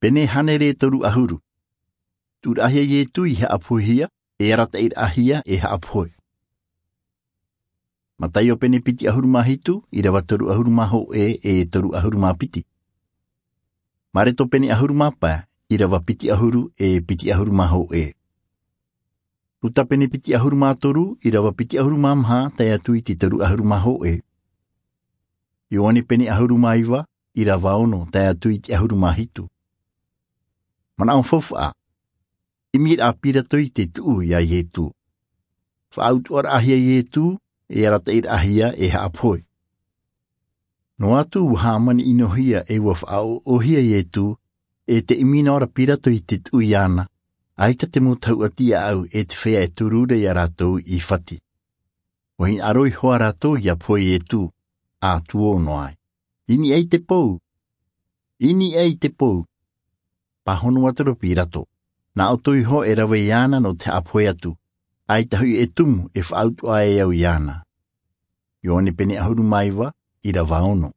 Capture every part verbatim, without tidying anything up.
Pene hānere toru ʻahuru. Tuʻuraʻahia iesu i haʻapohehia, e arataʻiraʻahia e haʻapohe. Mataio pene piti ʻahuru mā hitu, ʻirava toru ʻahuru mā hōʻē e toru ʻahuru mā piti. Mareko pene ʻahuru mā pae, ʻirava piti ʻahuru e piti ʻahuru mā hōʻē. Luka pene piti ʻahuru mā toru, ʻirava piti ʻahuru mā maha tae atu i te toru ʻahuru mā hōʻē. Ioane pene ʻahuru mā iva, ʻirava ono tae atu i te ʻahuru mā hitu. Manaʻo faufaʻa. ʻImiraʻa pirato i te tuʻu iā iesu. Faʻautuʻaraʻahia iesu, e arataʻiraʻahia e haʻapohe. Noa atu ua hāmani ʻinohia e ua faʻaʻoʻohia iesu, e te ʻimi noa ra pirato i te tuʻu iāna, ʻaita te mau tahuʻa tiaʻau e te feiā e toru ra iā rātou i fati. Ua hinaʻaro iho ā rātou ia pohe iesu, a tuō noa ai. I niʻa i te pou. I niʻa i te pou. Pāhono atu ra pirato. Nā ʻoutou iho e rave iāna nō te haʻapohe atu, ʻaita hoʻi e tumu e faʻautuʻa e au iāna. Ioane pene ʻahuru mā iva, ʻirava ono.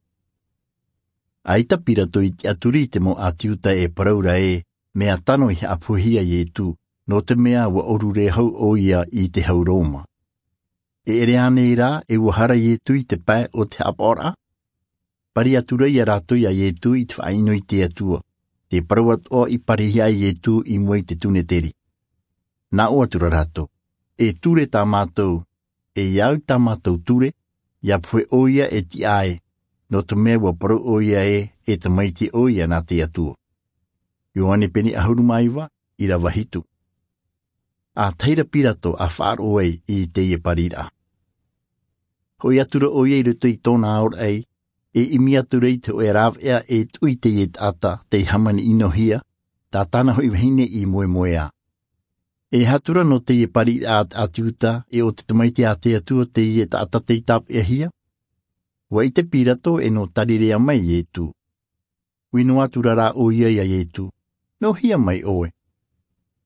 ʻAita pirato i tiʻaturi i te mau ʻāti iuta e parau ra ē, mea tano i haʻapohehia iesu, nō te mea ua ʻōrure hau ʻoia i te hau roma. E ʻere ānei rā e ua hara iesu i te pae o te haʻapaʻoraʻa? Pari atu ra iā rātou iā iesu i te faʻaʻino i te atua, te parau atoʻa i parihia ai iesu i mua i te suneteri. Nā ʻō atu ra rātou, e ture tā mātou, e ia au tā mātou ture, ia pohe ʻoia e tiʻa ai, nō te mea ua parau ʻoia ē, e tamaiti ʻoia nā te atua. Ioane pene ʻahuru mā iva, ʻirava hitu. A tahi ra pirato a faʻaroʻo ai i teie pariraʻa. Hoʻi atu ra ʻoia i roto i tōna aoraʻi, e ʻimi atu ra i te hōʻē rāveʻa e tuʻu i teie taʻata tei hāmani ʻinohia, tā tāna hoʻi vahine i moemoeā. E aha atu ra nō teie pariraʻa a te ʻāti iuta, e o te tamaiti a te atua teie taʻata tei tāpeʻahia? Ua ʻite pirato e nō tarirea mai iesu. Ui noa atu ra rā ʻoia iā iesu, nō hea mai ʻoe?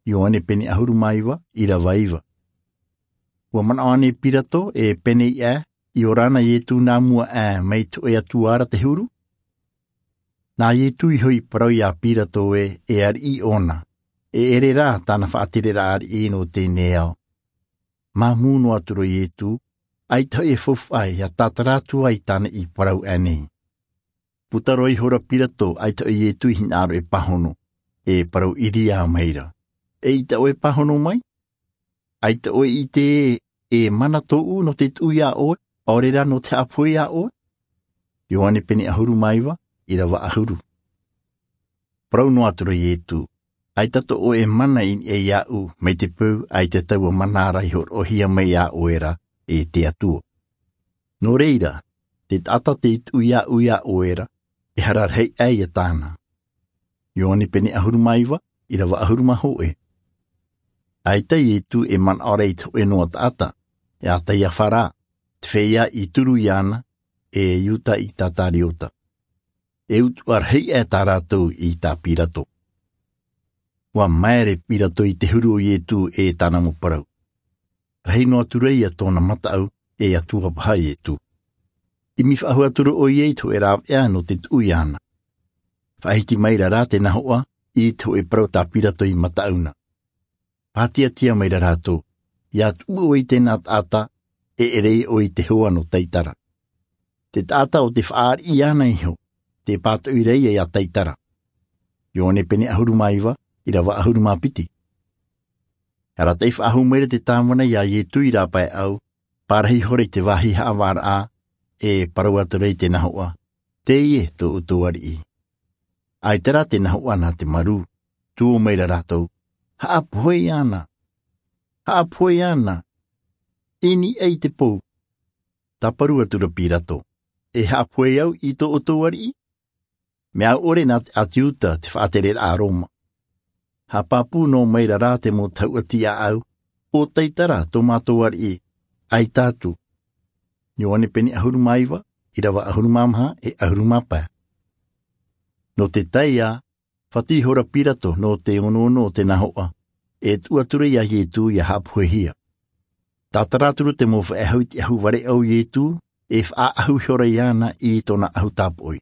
Ioane pene ʻahuru mā iva, ʻirava iva. Ua manaʻo ānei pirato e pēneiaʻe, i ora na iesu nā mua aʻe mai te hōʻē atua ra te huru? Nā iesu iho i parau iā pirato ē, e ariʻi ʻōna, e ʻere rā tāna faʻatereraʻa ariʻi nō teie nei ao. Māmū noa atu ra iesu, ʻaita hoʻi e faufaʻa ia tātara atu ai tāna i parau aʻe nei. Puta roa iho ra pirato, ʻaita hoʻi iesu i hinaʻaro e pāhono, e parau ʻiriā mai ra, eʻita ʻoe e pāhono mai? ʻAita ʻoe i ʻite ē, e mana tōʻu nō te tuʻu iā ʻoe, ʻaore rā nō te haʻapohe iā ʻoe? Ioane pene ʻahuru mā iva, ʻirava ʻahuru. Parau noa atu ra iesu, ʻaita tō ʻoe mana i niʻa iāʻu, mai te peu ʻaita taua mana ra i hōroʻahia mai iā ʻoe ra e te atua. Nō reira, te taʻata tei tuʻu iāʻu iā ʻoe ra, e hara rahi aʻe ia tāna. Ioane pene ʻahuru mā iva, ʻirava ʻahuru mā hōʻē. ʻAita iesu e manaʻo ra i te hōʻē noa taʻata, e a taiafa rā, te feiā i turu iāna, e iuta i katariota. E utuʻa rahi aʻe tā rātou i tā pirato. Ua maere pirato i te huru o iesu e tāna mau parau. Rahi noa atu ra ia tōna mataʻu, e atua paha iesu. ʻImi faʻahou atu ra ʻoia i te hōʻē rāveʻa nō te tuʻu iāna. Faʻahiti mai ra rā te nahoʻa i te hōʻē parau tā pirato i mataʻu na. Pātiatia mai ra rātou, ia tuʻu ʻoe i tēnā taʻata, e ʻere ʻoe i te hoa nō taitara. Te taʻata o te faʻaariʻi iāna iho, te pātoʻi ra ia iā taitara. Ioane pene ʻahuru mā iva, ʻirava ʻahuru mā piti. Arataʻi faʻahou mai ra te tāvana iā iesu i rāpaeʻau, pārahi ihora i te vāhi haʻavāraʻa, e parau atu ra i te nahoʻa, teie tō ʻoutou ariʻi. ʻAita rā te nahoʻa nā te marū, tuō mai ra rātou, haʻapohe iāna. Haʻapohe iāna. I niʻa i te pou. Tāparu atu ra pirato, e haʻapohe au i tō ʻoutou ariʻi? Mea ʻore nā te ʻāti iuta te faʻatereraʻa roma. Haʻapāpū noa mai ra rā te mau tahuʻa tiaʻau, o taitara tō mātou ariʻi, ʻaita atu. Ioane pene ʻahuru mā iva, ʻirava ʻahuru mā maha e ʻahuru mā pae. Nō te tae ā, fati ihora pirato nō te onoono o te nahoʻa, e tuʻu atu ra iā iesu ia haʻapohehia. Tātara atu ra te mau faʻehau i te ʻahu vareʻa o iesu, e faʻaʻahu ihora iāna i tōna ʻahu tāpoʻi.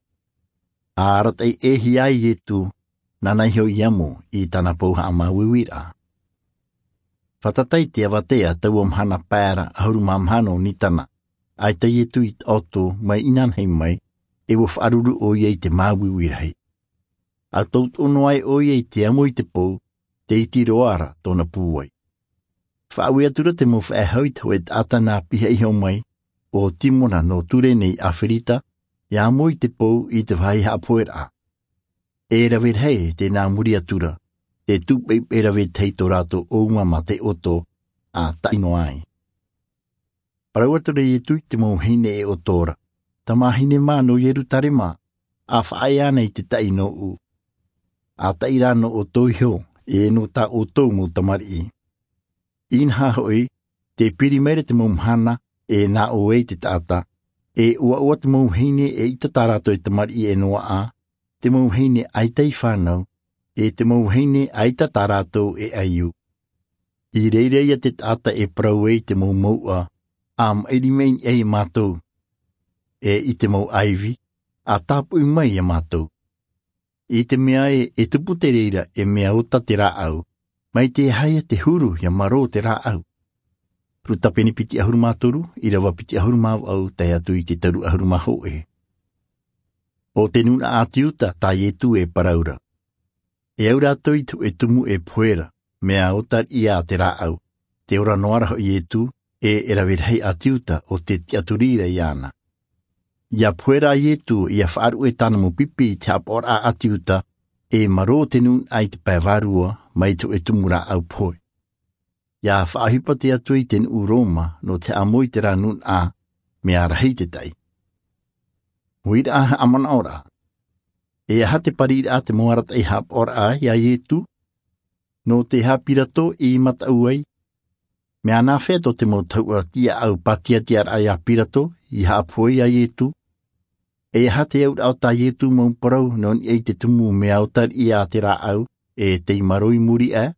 A arataʻi ʻēhia ai iesu, nāna iho i amo i tāna pou haʻamāuiuiraʻa. Fātata i te avatea taua mahana pae ra ʻahuru mā maha nō Nisana, ʻaita Ietu i taʻoto mai inanahi mai, e ua faʻaruru ʻoia i te māuiui rahi. ʻA tautoʻo noa ai ʻoia i te amo i te pou, tē iti roa ra tōna pūai. Faʻaue atu ra te mau faʻehau i te hōʻē taʻata nā piha iho mai, ʻo Timona nō Turene i Aferita, ʻia amo i te pou i te vāhi haʻapoheraʻa. E rave rahi tēnā muri atu ra, tē tūpeʻupeʻu rave tahi tō rātou ʻōuma mā te ʻoto, ʻa taʻi noa ai. Parau atu ra Ietu i te mau vahine e ʻoto ra, tamāhine mā nō Ierutarema, ʻa faʻaea ana i te taʻi nōʻu, ʻa taʻi rā nō ʻoutou iho, e nō tā ʻoutou mau tamariʻi. Inaha hoʻi, tē piri mai ra te mau mahana, e nā ʻō ai te taʻata, e ʻoaʻoa te mau vahine eʻita tā rātou e tamariʻi e noaʻa, te mau vahine ʻaita i fānau, e te mau vahine ʻaita tā rātou e ʻaiū. I reira ia te taʻata e parau ai te mau mouʻa, ʻa maʻiri mai niʻa ia mātou, e i te mau ʻaivi, ʻa tāpoʻi mai ia mātou. I te mea ē, e tupu te reira e mea ota te rāʻau, mai te aha ia te huru ʻia marō te rāʻau? Luka pene piti ʻahuru mā toru, ʻīrava piti ʻahuru mā vaʻu, tae atu i te toru ʻahuru mā hōʻē. ʻO te nūnaʻa ʻāti Iuta tā Ietu e parau ra. E au rātou i te hōʻē tumu e pohe ra, mea ota riʻi ā te rāʻau, tē ora noa ra hoʻi Ietu, e e rave rahi ʻāti Iuta ʻo tē tiʻaturi ra iāna. ʻIa pohe ra Ietu, ʻia faʻaruʻe tāna mau pipi i te haʻapaʻoraʻa ʻāti Iuta, e marō te nūnaʻa i te pae vārua, mai te hōʻē tumu rāʻau pohe. ʻIa faʻaʻohipa te Atua i te nuʻu Roma, nō te haʻamou i terā nūnaʻa, mea rahi te taʻi. Uiraʻa haʻamanaʻoraʻa. E aha te pariraʻa te mau arataʻi haʻapaʻoraʻa iā Ietu? Nō te aha Pirato i mataʻu ai? Mea nāfea tō te mau tahuʻa tiaʻau pātiatiaraʻa iā Pirato, i haʻapohe iā Ietu? E aha te auraʻa o tā Ietu mau parau nō niʻa i te tumu mea ota riʻi ā te rāʻau, e tei marō i muri aʻe?